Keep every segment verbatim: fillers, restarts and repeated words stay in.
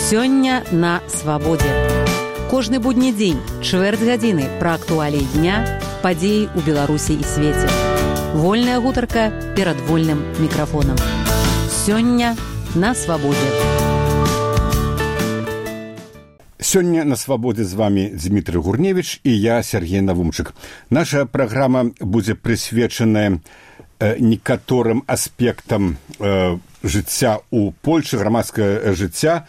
Сёння на свабодзе. Кожны будні дзень, чвэрць гадзіны пра актуаліі дня, падзеі ў Беларусі і свеце. Вольная гутарка перад вольным мікрафонам. Сёння на свабодзе. Сёння на свабодзе з вами Дмітрый Гурневіч і я, Сергей Навумчык. Наша праграма будзе прысвечаная э, некаторым аспектам э, жыцця ў Польшы, грамадскага жыцця.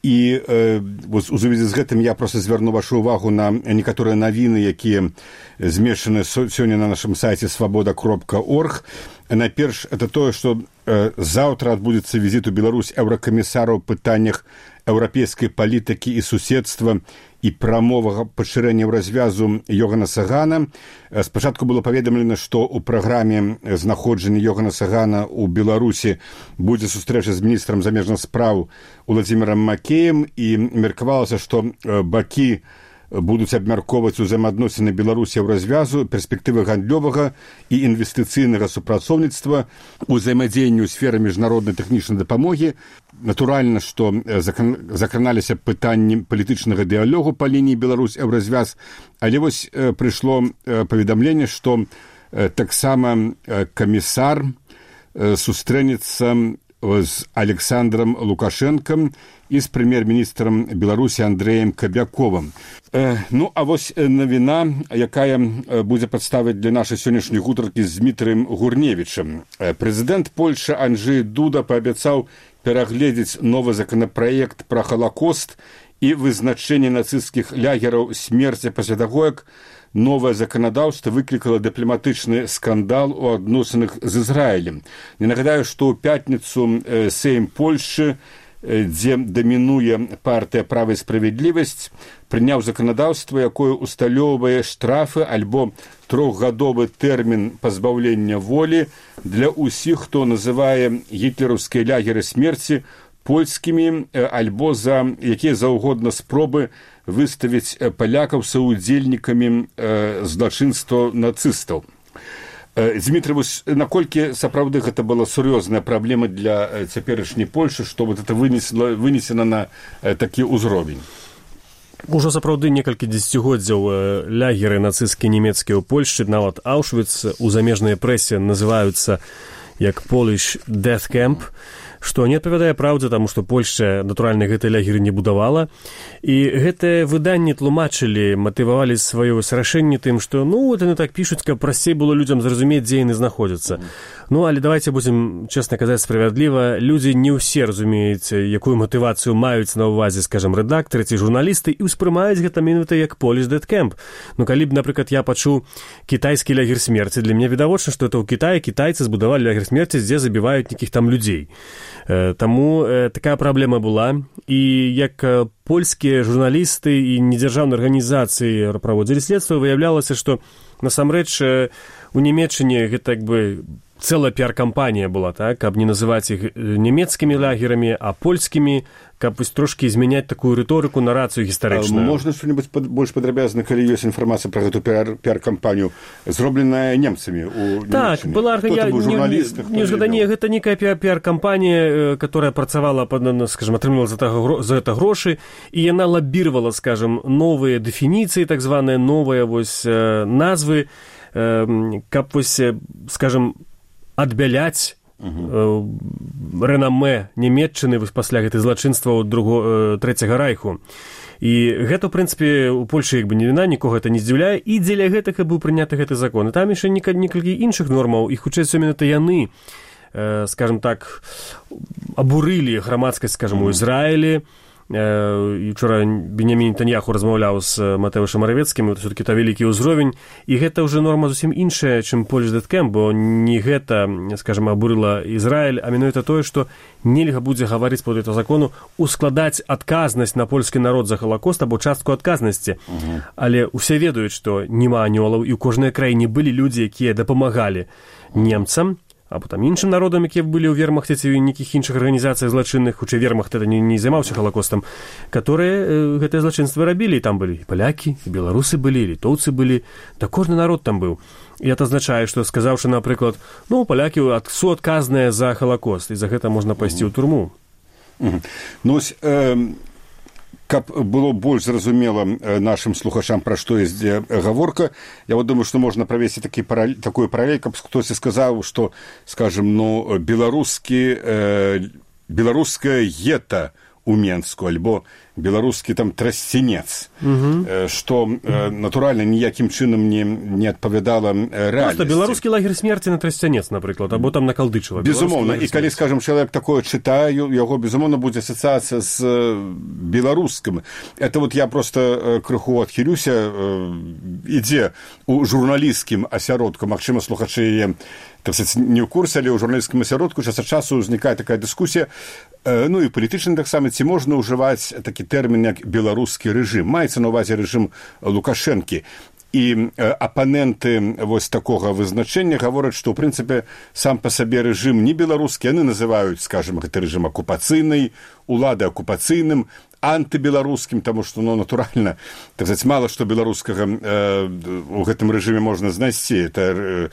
І э, у сувязі з гэтым я проста звярну вашу ўвагу на некаторыя навіны, якія змешчаны сёння на нашым сайце свабода кропка орг. Найперш, это тое, што э, заўтра адбудзецца візіт у Беларусь еўракамісара ў пытаннях еўрапейскай палітыкі і суседства і прамовага пашырэння развязу Йогана Сагана. Спачатку было паведамлена, што ў праграме знаходжання Йогана Сагана ў Беларусі будзе сустрэча з міністрам замежных спраў Уладзімірам Макеем, і меркавалася, што бакі будуць абмяркоўваць узаемаадносіны Беларусі ў развязу, перспектывы гандлёвага і інвестыцыйнага супрацоўніцтва, узаемадзеянню ў сферы міжнароднай тэхнічнай дапамогі. Натуральна, што закраналіся пытанні палітычнага дыялогу па лініі Беларусь ў развяз, але вось прыйшло паведамленне, што таксама камісар сустрэнецца з Александром Лукашенком і з прэм'ер-міністрам Беларусі Андрэем Кабяковым. Ну, а вось навіна, якая будзе падставаць для нашай сённяшняй гутаркі з Дмітрыем Гурневічам. Прэзідэнт Польшы Анджэй Дуда паабяцаў перагледзець новы законапраект пра Халакост і вызначэнне нацысцкіх лягераў смерці пасля таго, як новае заканадаўства выклікала дыпламатычны скандал у адносінах з Ізраілем. Не нагадаю, што ў пятніцу Сейм Польшы, дзе дамінуе партыя «Права і справядлівасць», прыняў заканадаўства, якое усталёўвае штрафы альбо трохгадовы тэрмін пазбаўлення волі для ўсіх, хто называе гітлераўскія лягеры смерці польскімі альбо за якія заўгодна спробы выставіць палякаў саўдзельнікамі злачынства нацыстаў. Дмітрий, вось наколькі сапраўды гэта была сур'ёзная праблема для цяперашняй Польшы, што вот это вынесена, вынесена на такі ўзровень? Ужо сапраўды некалькі дзесяцігоддзяў лягеры нацысцкія нямецкія ў Польшчы, нават Аўшвіц у замежнай прэсе называюцца як Polish Death Camp, што не адпавядае праўдзе, таму што Польшча, натуральна, гэтыя лягеры не будавала. І гэтыя выданні тлумачылі, матывавалі сваё рашэнне тым, што, ну, вот яны так пішуць, каб прасцей было людзям зразумець, дзе яны знаходзяцца. Ну, але давайте будзем чэсна казаць справядліва, людзі не ўсе разумеюць, якую матывацыю маюць на ўвазе, скажам, рэдактары ці журналісты, і ўспрымаюць гэта менавіта як Polish Death Camp. Ну, калі б, напрыклад, я пачуў кітайскі лягер смерці, для мяне відавочна, што это ў Кітаі кітайцы збудавалі лягер смерці, дзе забіваюць нейкіх там людзей. Таму такая праблема была, і як польскія журналісты і недзяржаўныя арганізацыі праводзілі следства, выяўлялася, што насамрэч у Нямецчыне гэта як бы цэлая піар-кампанія была, так, каб не называць іх нямецкімі лагерамі, а польскімі, каб вось трошкі змяняць такую рыторыку, нарацыю гістарычную. Можна што-небудзь пад, больш падрабязна, калі ёсць інфармацыя пра гэту піар, піар-кампанію, зробленая немцамі ў Нямецчыне? Так, была арганізацыя. Не, не, не, гэта некая піар-кампанія, которая працавала, скажем, атрымлівала за, за гэта грошы, і яна лабіравала, скажем, новыя дэфініцыі, так званыя новыя вось назвы, каб вось, скажем, адбяляць uh-huh. рэнамэ Нямецчыны пасля гэтай злачынства друго, трэцяга райху. І гэта, ў прынцыпе, у Польшы як бы не віна, нікога гэта не здзіўляе, і дзеля гэтага быў прыняты гэты закон. І там яшчэ некалькі іншых нормаў, і хутчэй менавіта яны, скажем так, абурылі грамадскасць, скажем, у Ізраілі. І вчора Беньямін Нетаньяху размаўляў з Матэўшам Маравецкім, это все-таки то вялікі ўзровень, і гэта ўжо норма зусім іншая, чым Polish Death Camp, бо не гэта, скажем, абурыла Ізраіль, а менавіта тое, што нельга будзе гаварыць па гэтаму закону ускладаць адказнасць на польскі народ за Халакост або частку адказнасці. Uh-huh. Але ўсе ведаюць, што няма анёлаў, і ў кожнай краіне былі людзі, якія дапамагалі немцам, або там іншым народам, якія былі ў вермахте ці ў нейкіх іншых арганізацыях злачынных, хутчэй вермахт это не, не займаўся Халакостам, которые э, гэтыя злачынствы рабілі, і там былі і палякі, і беларусы былі, і літоўцы былі, да кожны народ там быў. І это азначае, што сказаўшы, напрыклад, ну, палякі суадказныя за Халакост, і за гэта можна пайсці ў турму. Ну, ось, э, каб было больш зразумела нашим слухачам, пра што ідзе гаворка, я вот думаю, што можна правесці такі паралель, такую паралель, каб хтосьці сказаў, што, скажем, ну, беларускі, э, беларуская гета у Менску, альбо беларускі там трасцінец, угу. што э, натуральна ніякім чынам не, не адпавядала рэальнасці. Просто беларускі лагер смерці на Трасцянец, напрыклад, або там на Калдычева. Безумоўна, і калі, скажем, чалавек такое чытае, яго, безумоўна, будзе асацыяцыя з беларускім. Это вот я просто крыху адхілюся, ідзе у журналісцкім асяродку, магчыма, слухачы яе, так сказать, не ў курсе, але ў журналісцкім асяродку час ад часу ўзнікае такая дыскусія, ну і палітычна таксама, ці можна ўжываць такі тэрмін, як беларускі рэжым. Маецца на ўвазе рэжым Лукашэнкі. І апаненты вось такога вызначэння гавораць, што, ў прынцыпе, сам па сабе рэжым не беларускі, яны называюць, скажем, гэты рэжым акупацыйнай, улады акупацыйным, антыбеларускім, таму што, ну, натуральна, так сказать, мала што беларускага э, у гэтым рэжыме можна знайсці. Это э,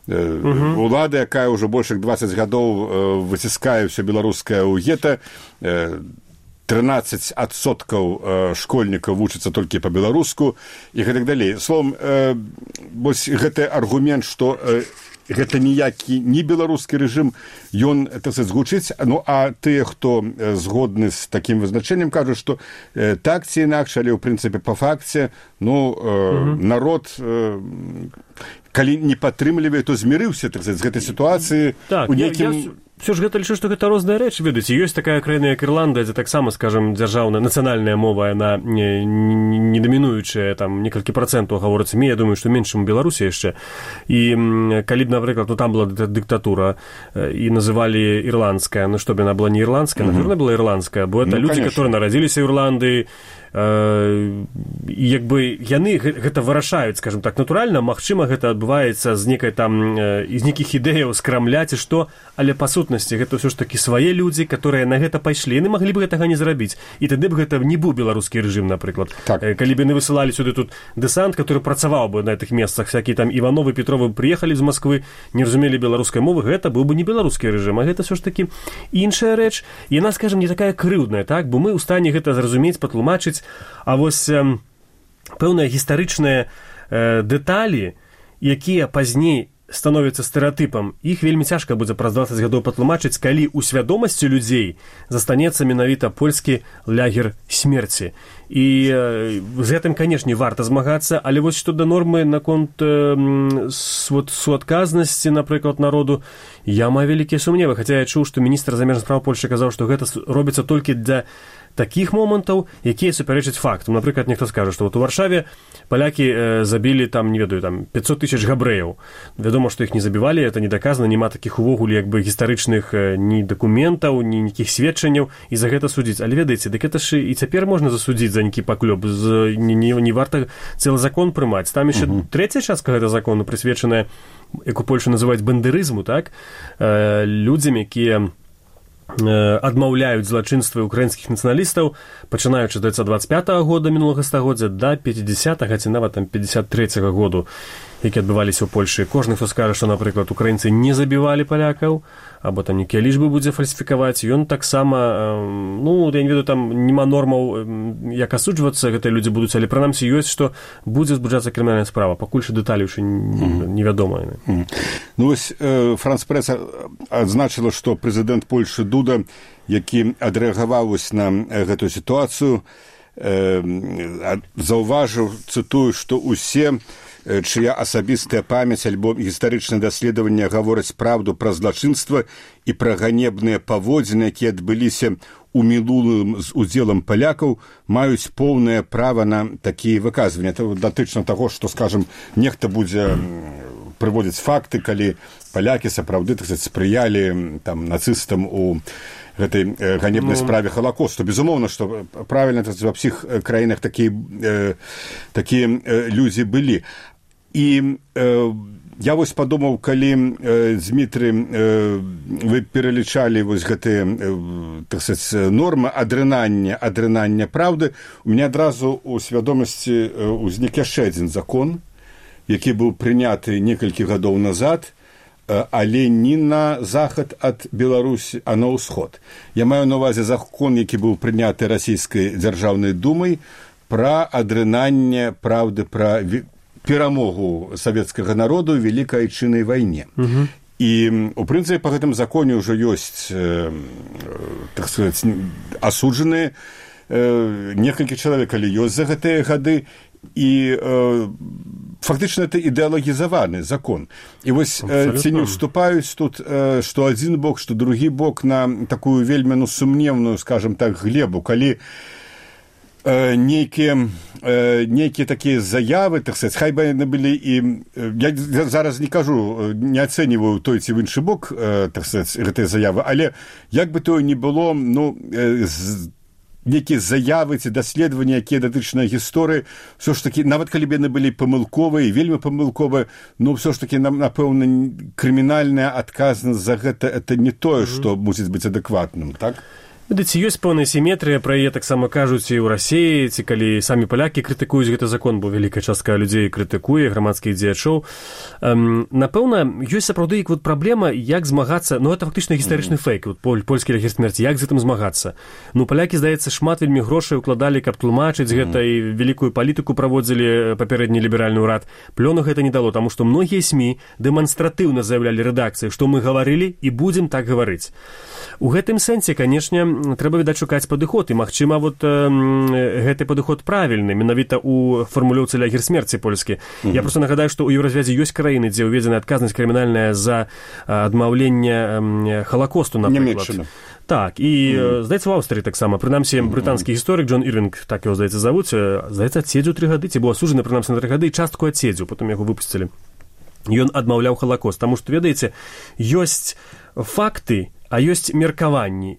э, угу. улада, якая ўжо больш як дваццаць гадоў э, выціскае ўсё беларускае ў гета, э, трынаццаць адсоткаў школьнікаў вучацца толькі па-беларуску і гэтак далей. Словом, э, вось гэты аргумент, што э, гэта ніякі не беларускі рэжым, ён, так сказать, згучыць. Ну, а тыя, хто згодны з такім вызначэннем, кажуць, што э, так ці інакш, але, ў прынцыпе, па факце, ну, э, угу. народ, э, калі не падтрымлівае, то змірыўся, так сказать, з гэтай сітуацыі так, у нейкім... Я, я... Все ж гэта лічу, што гэта розныя рэчы, ведаеце. Ёсць такая краіна, як Ірландыя, дзе таксама, скажем, дзяржаўная нацыянальная мова, яна не, не, не дамінуючая, там некалькі працэнтаў гаворыцца, я думаю, што менш, чым у Беларусі яшчэ. І калі б, напрыклад, ну там была дыктатура і называлі ірландская, ну што б яна была не ірландская, mm-hmm. наверное, была ірландская, бо это ну, людзі, которые нарадзіліся ў Ірландыі, і як бы яны гэта вырашаюць, скажем так, натуральна, магчыма, гэта адбываецца з некай там, з нейкіх ідэяў з Крамля ці што, але па сутнасці гэта ўсё ж такі свае людзі, которые на гэта пайшлі, яны маглі б гэтага не зрабіць, і тады б гэта не быў беларускі рэжым, напрыклад. Так. Калі б яны высылалі сюды тут дэсант, который працаваў бы на гэтых месцах, всякие там Івановы, Петровы прыехалі з Москвы, не разумелі беларускай мовы, гэта быў бы не беларускі рэжым, а гэта ўсё ж такі іншая рэч, і яна, скажем, не такая крыўдная, так, бо мы ў стане гэта зразумець, патлумачыць. А вось э, пэўныя гістарычныя э, дэталі, якія пазней становяцца стэрэатыпам, іх вельмі цяжка будзе праз дваццаць гадоў патлумачыць, калі ў свядомасці людзей застанецца менавіта польскі лагер смерці. І э, з гэтым, канешне, варта змагацца, але вось што да нормы наконт э, вот, суадказнасці, напрыклад, народу, я маю вялікія сумневы, хаця я чуў, што міністр замежных спраў Польшчы казаў, што гэта робіцца толькі для такіх момантаў, якія супярэчаць фактам. Напрыклад, нехто скажа, што вот у Варшаве палякі э, забілі там, не ведаю, там пятьсот тысяч габрэяў. Вядома, што іх не забівалі, это не даказана, няма такіх увогуле як бы гістарычных э, ні дакументаў, ні нейкіх сведчанняў, і за гэта судзіць. Але ведаеце, дык это ж і цяпер можна засудзіць за нейкі паклёп, з, не, не, не варта цэлы закон прымаць. Там яшчэ uh-huh. трэцяя частка гэтага закону прысвечаная, як у Польшы называюць бандерызму, так, э, людзям, якія адмаўляюць злачынствы украінскіх нацыяналістаў, пачынаючы з дваццаць пятага года мінулага стагоддзя да пятидесятага ці нават там пятьдесят третьего году, які адбываліся ў Польшы. Кожны, хто скажа, што, напрыклад, украінцы не забівалі палякаў, або там нейкія лічбы будзе фальсіфікаваць, ён таксама, ну, я не ведаю, там няма нормаў, як асуджвацца гэтыя людзі будуць, але прынамсі ёсць, што будзе збуджацца крымінальная справа. Пакуль што дэталі ўжо невядомыя. Mm. Ну, вось э, Франс Прэс адзначыла, што прэзідэнт Польшы Дуда, які адрэагаваў на гэтую сітуацыю, э, заўважыў, цытую, што ўсе чыя асабістая памяць альбо гістарычнае даследаванне гавораць праўду пра злачынства і пра ганебныя паводзіны, якія адбыліся ў мінулым з удзелам палякаў, маюць поўнае права на такія выказванні. Это датычна таго, што, скажам, нехта будзе прыводзіць факты, калі палякі сапраўды, так сказаць, спрыялі там нацыстам у гэтай э, ганебнай ну... справе Халакосту. Безумоўна, што правільна, так сказаць, ва ўсіх краінах такія э, такія э, людзі былі. І э, я вось падумаў, калі э, Змітры э, вы пералічалі вось гэтыя э, так сказаць, нормы адрынання адрынання праўды, у мяне адразу у свядомасці э, узнік яшчэ адзін закон, які быў прыняты некалькі гадоў назад, але не на захад ад Беларусі, а на ўсход. Я маю на ўвазе закон, які быў прыняты расійскай дзяржаўнай думай пра адрынанне праўды пра перамогу савецкага народу ў вялікай айчыннай вайне. Угу. І, у прынцыпе, па гэтым законе ўжо ёсць, э, так сказаць, асуджаныя э, некалькі чалавек, але ёсць за гэтыя гады, і э, фактычна это ідэалагізаваны закон. І вось э, ці не ўступаюць тут, э, што адзін бок, што другі бок на такую вельмі ну, сумневную, скажем так, глебу, калі э, нейкія, э, нейкія такія заявы, так сказать, хай бы яны былі і... Э, я зараз не кажу, не ацэньваю той ці в іншы бок, э, так сказать, гэтыя заявы, але як бы тое не было, ну, э, з, некія заявы ці даследаванні, якія датычныя гісторыі, ўсё ж такі, нават калі б яны былі памылковыя, вельмі памылковыя, ну, ўсё ж такі, напэўна, крымінальная адказнасць за гэта, это не тое, што мусіць быць адэкватным, так? Ведаце, ёсць пэўная сіметрыя, пра яе таксама кажуць і ў Расіі, ці калі самі палякі крытыкуюць гэты закон, бо вялікая частка людзей крытыкуе, грамадскіх дзеячоў. Эм, напэўна, ёсць сапраўды вот праблема, як змагацца, ну, это фактычна гістарычны фейк, вот, поль, польскі лагер смерці, як з гэтым змагацца. Ну, палякі, здаецца, шмат вельмі грошай укладалі, каб тлумачыць mm. гэта, і вялікую палітыку праводзілі папярэдні ліберальны ўрад. Плёну гэта не дало, таму што многія СМІ дэманстратыўна заявлялі рэдакцыі, што мы гаварылі і будзем так гаварыць. У гэтым сэнсе, канешне, трэба, відаць, шукаць падыход, і, магчыма, вот, э, гэты падыход правільны, менавіта ў фармулёўцы лагер смерці польскі. Mm-hmm. Я проста нагадаю, што ў Еўразвязе ёсць краіны, дзе ўведзена адказнасць крымінальная за адмаўленне Халакосту, напрыклад. Нямецчына. Так, і, mm-hmm. здаецца, у Аўстрыі таксама. Прынамсі, брытанскі гісторык Джон Ірвінг, так яго, здаецца, завуць, здаецца, адседзеў тры гады, ці быў асуджаны, прынамсі, на тры гады, і частку адседзеў, потым яго выпусцілі. Ён адмаўляў Халакост, таму што, ведаеце, ёсць факты, а ёсць меркаванні.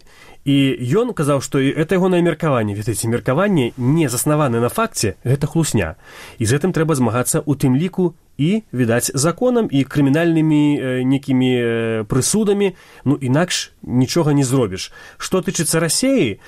І ён казаў, што это ягонае меркаванне, ведаеце, меркаванне не заснаваны на факце, гэта хлусня. І з гэтым трэба змагацца ў тым ліку і, відаць, законам і крымінальнымі э, некімі э, прысудамі, ну, інакш нічога не зробіш. Што тычыцца Расіі,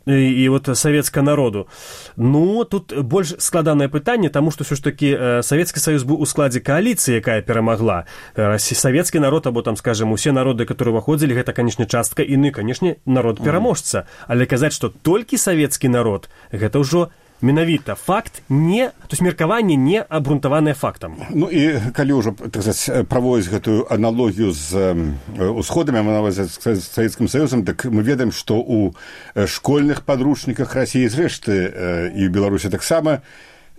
і вот савецкага народу, ну, тут больш складанае пытанне, таму што ўсё ж такі Савецкі Саюз быў у складзе кааліцыі, якая перамагла. Савецкі народ, або там, скажем, усе народы, которые выходзілі, гэта, канечне, частка іны, канечне, народ пераможца. Але казаць, што толькі савецкі народ, гэта ўжо менавіта факт не, то есть меркаванне не абрунтаванае фактам. Ну і калі ўжо, так сказать, праводзіць гэтую аналогію з усходамі, а нават з Савецкім Саюзам, так мы ведаем, што ў школьных падручніках Расіі, зрэшты, і ў Беларусі таксама,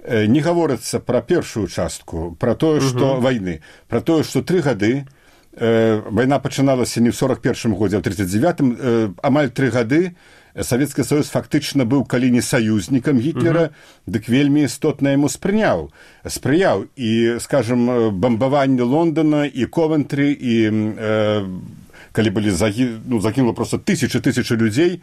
не гаворыцца пра першую частку, пра тое, што угу. вайны, пра тое, што тры гады, э, вайна пачыналася не ў сорок першым годзе, а ў тридцать девятым, э, амаль тры гады, Савецкі Саюз фактычна быў калі не саюзнікам Гітлера, uh-huh. дык вельмі істотна яму спрыняў. Спрыяў. І, скажем, бамбаванне Лондона і Ковентры, і э, калі былі загі... ну, загінула проста тысячы тысячы людзей,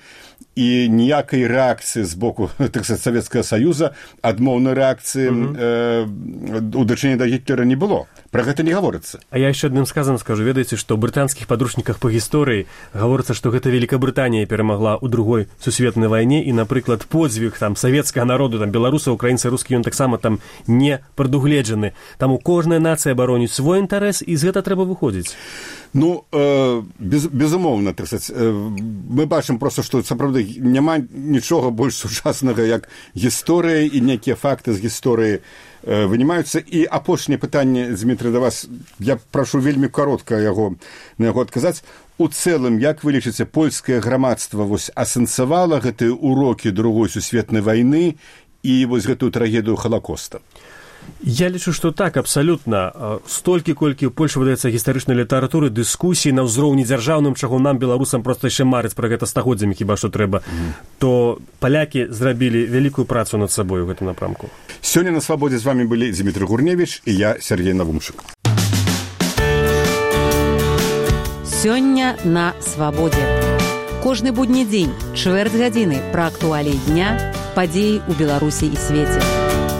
і ніякай рэакцыі з боку, так сказать, Савецкага Саюза, адмоўнай рэакцыі uh-huh. э, у дачыненні да Гітлера не было. Пра гэта не гаворыцца. А я яшчэ адным сказам скажу, ведаеце, што ў брытанскіх падручніках па гісторыі гаворыцца, што гэта Великабрытанія перамагла ў другой сусветнай вайне, і, напрыклад, подзвіг там савецкага народу, там беларуса, украінца, рускі, ён таксама там не прадугледжаны. Таму кожная нацыя бароніць свой інтарэс, і з гэта трэба выходзіць. Ну, э, без, безумоўна, так сказать, э, мы бачым проста, што сапраўды няма нічога больш сучаснага, як гісторыя, і некія факты з гісторыі э, вынімаюцца. І апошняе пытанне, Дмітрый, да вас, я прашу вельмі каротка яго, на яго адказаць. У цэлым, як вы лічыце, польскае грамадства вось асэнсавала гэтыя урокі другой сусветнай вайны і вось гэтую трагедыю Халакоста? Я лічу, што так, абсалютна. Столькі, колькі ў Польшы выдаецца гістарычнай літаратуры, дыскусіі на ўзроўні дзяржаўным, чаго нам, беларусам, проста яшчэ марыць пра гэта стагоддзямі, хіба што трэба, mm. то палякі зрабілі вялікую працу над сабой у гэтым напрамку. Сёння на свабодзе з вамі былі Дмітрый Гурневіч і я, Сергей Навумчык. Сёння на свабодзе. Кожны будні дзень, чвэрць гадзіны пра актуаліі дня, падзеі ў Беларусі і свеце.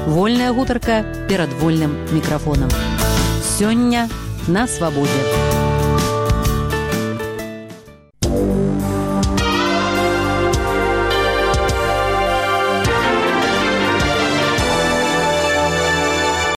Вольная гутарка перад вольным мікрафонам. Сёння на свабодзе.